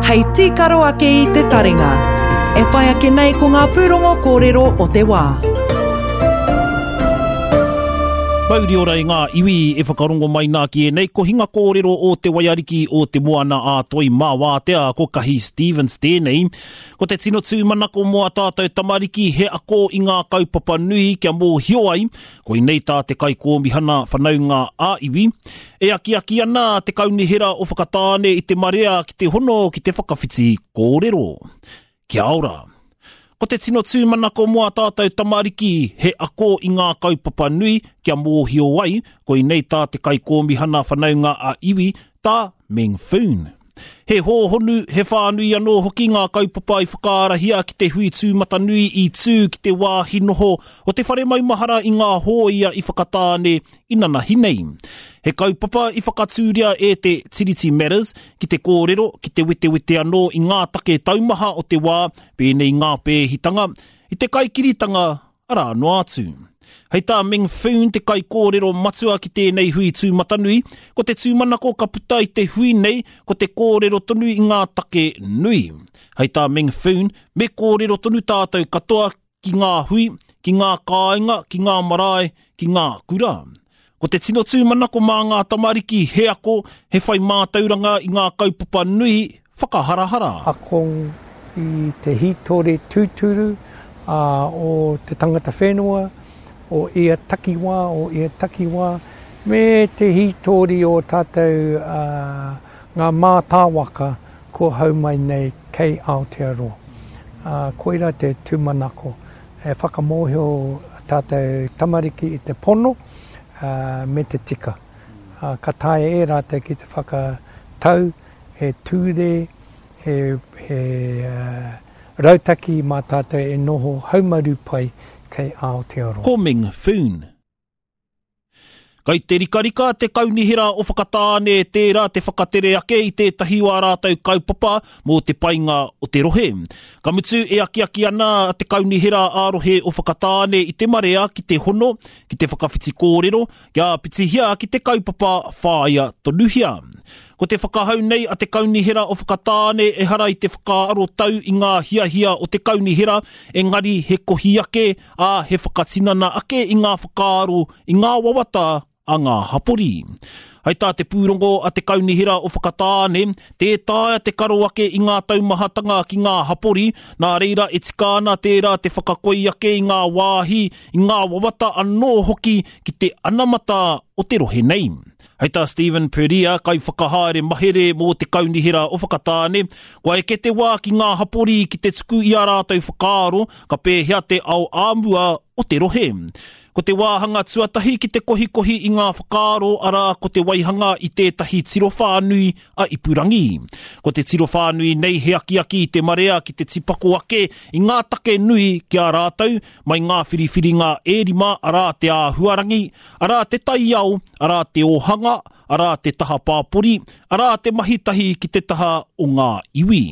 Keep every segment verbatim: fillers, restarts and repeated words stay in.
hei tīkaro ake i te taringa. E whai ake nei ko ngā pūrongo kōrero o te wā. Mauri ora i ngā iwi e whakarongo mai nā ki ēnei kohinga kōrero o te waiariki o te moana a toi mā wātea ko Kahi Stevens tēnei. Ko te tino tūmanako mō a tātou tamariki he ako i ngā kaupapa nui kia mōhio ai, koinei tā te kaikōmihana whanaunga a iwi. E akiaki ana te kaunihera o Whakatāne i te marea ki te hono ki te whakawhiti kōrero. Kia ora! Ko te tino tūmanako mō a tātou tamariki he ako i ngā kaupapa nui kia mōhio ai, koinei tā te kaikōmihana whanaunga a iwi, tā Meng Foon. He hōhonu, he whānui anō hoki ngā kaupapa i whakaarahia ki te hui tūmatanui i tū ki te wāhi noho o te whare maumahara i ngā hōia i Whakatāne i nanahi nei. He kaupapa i whakatūria e te Tiriti Matters ki te kōrero, ki te wetewete anō i ngā take taumaha o te wā, pēnei ngā pēhitanga, i te kaikiritanga arā noa atu. Hei tā Meng Foon te kaikōrero matua ki tēnei hui tūmatanui, ko te tūmanako ka puta i te hui nei, ko te kōrero tonu i ngā take nui. Hei tā Meng Foon, me kōrero tonu tātou katoa ki ngā hui, ki ngā kāinga, ki ngā marae, ki ngā kura. Ko te tino tūmanako mā ngā tamariki he ako, he whai mātauranga i ngā kaupapa nui whakaharahara. Ako i te hītori tūturu uh, o te tangata whenua, o ia takiwā, o ia takiwā, me te hītori o tātou uh, ngā mātāwaka ko hau mai nei kei Aotearoa. Uh, koira te tūmanako. E whakamōhio tātou tamariki i te pono uh, me te tika. Uh, ka taea e rātou ki te whakatau, he tūre, he, he uh, rautaki mā tātou e noho haumaru pai kei Aotearoa. Ko Meng Foon. Kai te rikarika te kaunihera o Whakatāne tērā te whakatere ake i tētahi o ā rātou kaupapa mō te painga o te rohe. Ka mutu e akiaki ana te kaunihera ā-rohe o Whakatāne i te marea ki te hono, ki te whakawhiti kōrero, kia pitihia ki te kaupapa whāia tonuhia. Ko te whakahau nei a te kaunihera o Whakatāne ehara i te whakaarotau i ngā hiahia o te kaunihera, engari he kohi ake, ā, he whakatinana ake i ngā whakaaro, i ngā wawata a ngā hapori. Hei tā te pūrongo a te kaunihera o Whakatāne, tē taea te karo ake i ngā taumahatanga ki ngā hapori, nā reira e tika ana tērā te whakakoi ake i ngā wāhi, i ngā wawata anō hoki ki te anamata o te rohe nei. Hei tā Stephen Perea, kai whakahaere mahere mō te kaunihera o Whakatāne, kua eke te wā ki ngā hapori ki te tuku i a rātou whakaaro, ka pēhea te ao āmua o te rohe. Ko te wāhanga tuatahi ki te kohikohi i ngā whakaaro arā ko te waihanga i tētahi tiro whānui a Ipurangi. Ko te tiro whānui nei he akiaki i te marea ki te tipako ake i ngā take nui ki a rātou, mai ngā whiriwhiringa e rima arā te āhuarangi, arā te taiao, arā te ōhanga, arā te taha pāpori, arā te mahi tahi ki te taha o ngā iwi.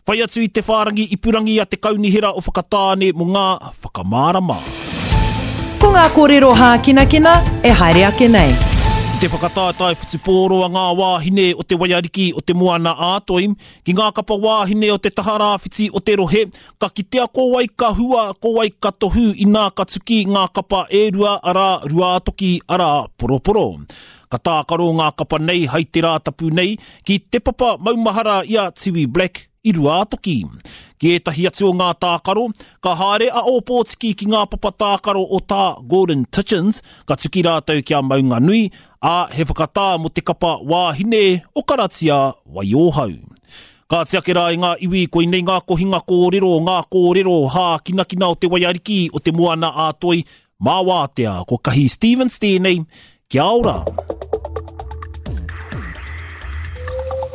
Whai atu i te whārangi ipurangi a te kaunihera o Whakatāne mō ngā whakamārama. Ko ngā kōrero hākinakina e haere ake nei. I te whakataetae whutupōro a ngā wāhine o te waiariki o te moana ā-toi, ki ngā kapa wāhine o te taha rāwhiti o te rohe, ka kitea ko wai ka hua, ko wai ka tohu inā ka tuki ngā kapa e rua arā Ruātoki arā Poroporo. Ka tākaro ngā kapa nei hai te rātapu nei ki te papa maumahara i a Tiwi Black i Ruātoki. Ki ētahi atu o ngā tākaro, ka haere a Ōpōtiki ki ngā papa tākaro o tā Gordon Titchens, ka tuki rātou ki a Maunganui, ā, he whakatā mō te kapa wāhine o Karatia Waiōhau. Ka tiake rā i ngā iwi, koinei ngā kohinga kōrero, ngā kōrero hākinakina o te waiariki o te moana ā-toi, mā wātea, ko Kahi Stevens tēnei, kia ora!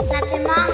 Nā te māngai